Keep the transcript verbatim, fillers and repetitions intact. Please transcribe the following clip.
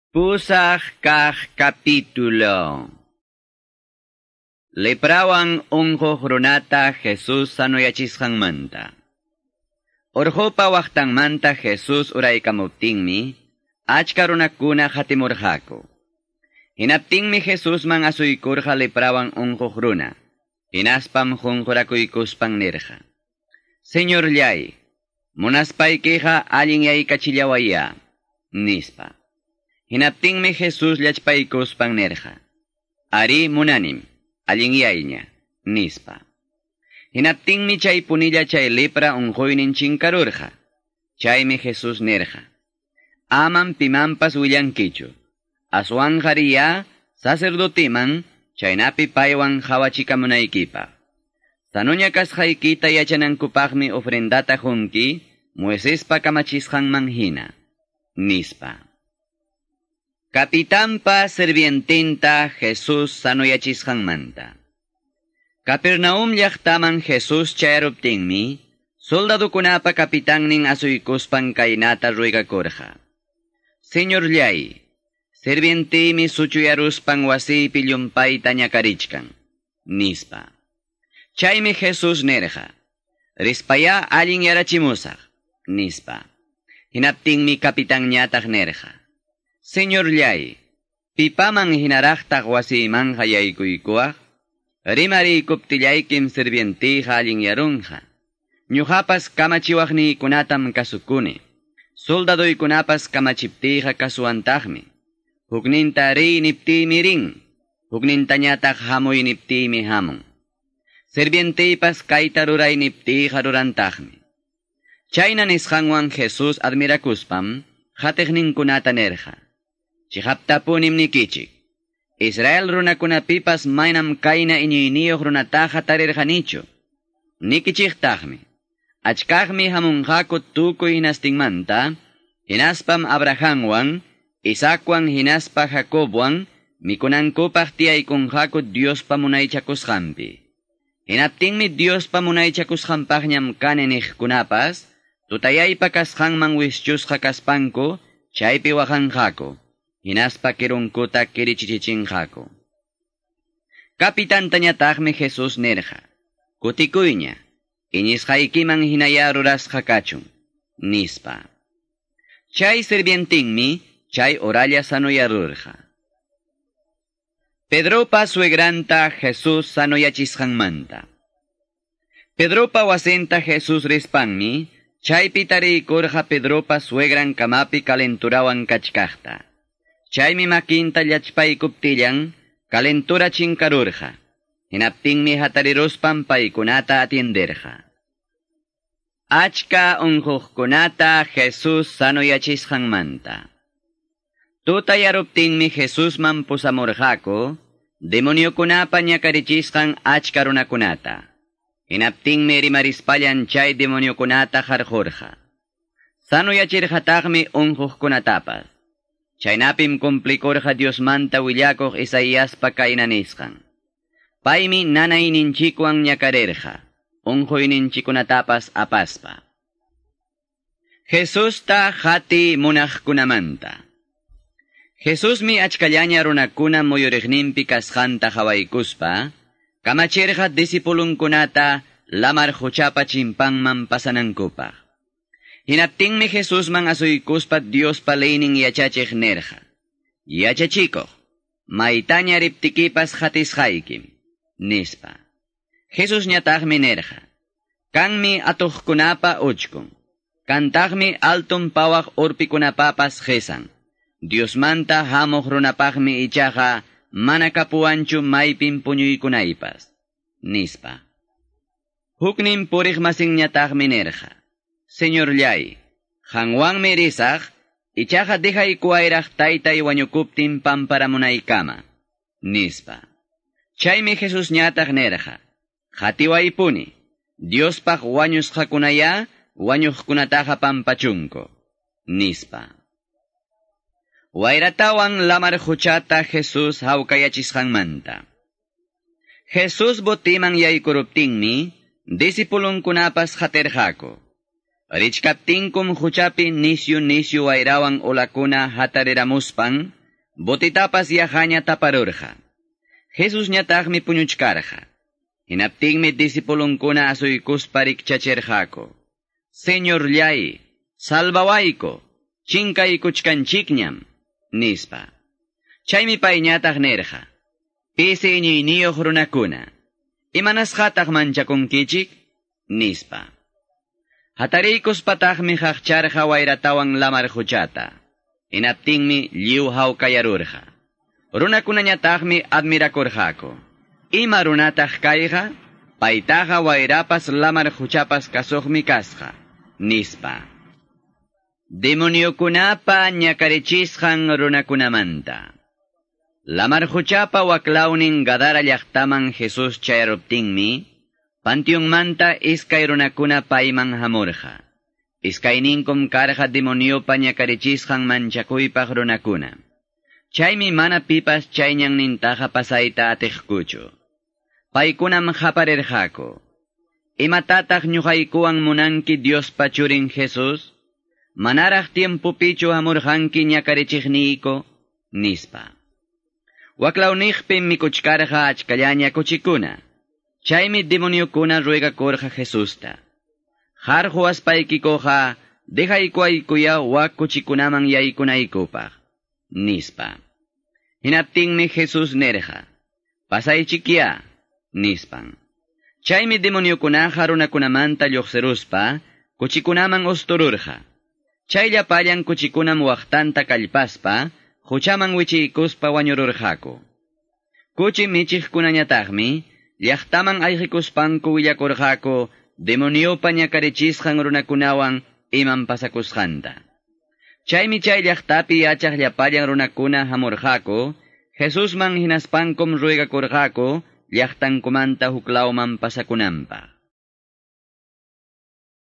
Pusaq kaq capítulo. Leprawan unquq runata Jesus sanoyachisqanmanta. Urqupa waqtanmanta Jesus uraykamuptinmi, achka runakuna hatimurqaku. Hinaptinmi Jesusman asuykurqa leprawan unquq runa. Hinaspam qunqurakuykuspan nirqa: Señorllay, munaspaykiqa allinyaykachillawayá, nispa. Hinaptinmi Jesus llachpaykuspan nirqa: Ari munanim, allinyayña, nispa. Hinaptinmi chay punilla chay lepra unquynin chinkarurqa. Chaymi Jesus nirqa: Amam pimanpas willankichu. Aswanqa riya sacerdotiman chaynapi paywan qhawachikamunaykipaq. Sanuña kasqaykita yachanankupaqmi ofrendata qunki Moisespa kamachisqanman hina, nispa. Capitanpa sirvientinta Jesus sanoyachisqanmanta. Capernaum llaqtaman Jesus chayaruptinmi, soldadukunapa kapitannin asuykuspan kaynata ruegakurqa: Señorllay, sirvientiymi suchuyaruspan wasiypi llumpayta ñakarichkan, nispa. Chaymi Jesus nirqa: Rispayá allinyarachimusaq, nispa. Hinaptinmi kapitanñataq nirqa: Señorllay, pipaman hinaraqtaq wasiymanqa yaykuykuwaq? Rimariykuptillaykim sirvientiyqa allinyarunqa. Ñuqapas kamachiwaqniykunatam kasukuni. Soldaduykunapas kamachiptiyqa kasuwantaqmi. Hukninta riy niptiymi rin, huknintañataq hamuy niptiymi hamun. Sirvientiypas kayta ruray niptiyqa rurantaqmi. Chayna nisqanwan Jesus admirakuspam qatiqninkunata nirqa: Chiqaptapunim nikichik, Israel runakunapipas maynam kayna iñiyniyuq runataqa tarirqanichu. Nikichiktaqmi, achkaqmi hamunqaku tukuy hinastinmanta, hinaspam Abrahamwan, Isaacwan hinaspa Jacobwan mikunankupaq tiyaykunqaku Diospa munaychakusqanpi. Hinaptinmi Diospa munaychakusqanpaqñam kani niqkunapas, tutayaypa kasqanman wischusqa kaspanku, chaypi waqanqaku, hinaspa kirunkuta kirichichichinqaku. Kapitantañataqmi Jesus nirqa: Kutikuyña, iñisqaykiman hinayá rurasqa kachun, nispa. Chay sirvientinmi chay oralla sanoyarurqa. Pedropa suegranta Jesus sanoyachisqanmanta. Pedropa wasinta Jesus rispanmi, chaypi tariykurqa Pedropa suegran kamapi calenturawan kachkaqta. Chaymi makinta llachpaykuptillan calentura chinkarurqa. Hinaptinmi hatariruspan paykunata atienderqa. Achka unquqkunata Jesus sanoyachisqanmanta. Tutayaruptinmi Jesusman pusamurqaku demoniokunapa ñakarichisqan achka runakunata. Hinaptinmi rimarispallan chay demoniokunata qarqurqa. Sanoyachirqataqmi unquqkunatapas. Chaynapim cumplikurqa Diosmanta willakuq Isaiaspa kayna nisqan: Paymi nanayninchikwan ñakarirqa, unquyninchikunatapas apaspa. Jesusta qati munaqkunamanta. Jesusmi achkallaña runakuna muyuriqninpi kasqanta qhawaykuspa, kamachirqa discipulunkunata lamar quchapa chimpanman pasanankupaq. Hinaptinmi Jesusman asuykuspa Diospa leynin yachachiq nirqa: Yachachikuq, maytaña riptikipas qatisqaykim, nispa. Jesusñataqmi nirqa: Kanmi atuqkunapa uchkun, kantaqmi alton pawaq urpikunapapas qisan. Diosmanta hamuq runapaqmi ichaqa mana kapuwanchu maypin puñuykunaypas, nispa. Huknin puriq masinñataqmi nirqa: Señorllay, qanwanmi risaq, ichaqa dejaykuwayraq taytay wañukuptin pamparamunaykama, nispa. Chaymi Jesusñataq nirqa: Qatiwaypuni, Diospaq wañusqakunayá wañuqkunataqa pampachunku, nispa. Wayratawan lamar quchata Jesus hawkayachisqanmanta. Jesus botiman yaykuruptinmi, discipulunkunapas qatirqaku. Richkaptinkum quchapi nisyu nisyu wayrawan olakuna hatariramuspan, Botitapas yaqaña taparurqa. Jesusñataqmi puñuchkarqa. Hinaptinmi disipulunkuna asuykuspa rikchachirqaku. Señorllay, salvawayku, chinkaykuchkanchikñam, nispa. Chaymi payñataq nirqa. Pisi iñiyniyuq runakuna, imanasqataq manchakunkichik, nispa. Hatariykuspataqmi qaqcharqa wayratawan lamar quchata. Hinaptinmi lliw hawkayarurqa. Runakunañataqmi admirakurqaku. Ima runataq kayqa, paytaqa wayrapas lamar quchapas kasuqmi kasqa, nispa. Demoniokunapa ñakarichisqan runakunamanta. Lamar quchapa waklawnin Gadara llaqtaman Jesús chayaruptinmi, panteonmanta iskay runakuna payman hamurqa. Iskayninkum karqa demoniopa ñakarichisqan manchakuypaq runakuna. Chaymi mana pipas chay ñannintaqa pasayta atiqkuchu. Paykunam qaparirqaku. Imatataq ñuqaykuwan munanki Diospa churin Jesús? Manaraq tiempopichu hamurqanki ñakarichiqniyku, nispa. Waklawniqpim mikuchkarqa achkallaña kuchikuna. Chaymi demoniokuna ruegakurqa Jesusta. Qarquwaspaykikuqa dejaykuwaykuya wak kuchikunaman yaykunaykupaq, nispa. Hinaptinmi Jesús nirqa, pasaychikya, nispan. Chaymi demoniokunaqa runakunamanta lluqsiruspa, kuchikunaman ustururqa. Chay llapallan kuchikunam waqtanta kallpaspa, quchaman wichiykuspa wañururqaku. Kuchi michiqkunañataqmi, llaqtaman ayqikuspanku willakurqaku demoniopa ñakarichisqan runakunawan iman pasakusqanta. Chaymi chay llaqtapi yachaq llapallan runakuna hamurqaku, Jesusman hinaspankum ruegakurqaku llaqtankumanta huklawman pasakunanpaq.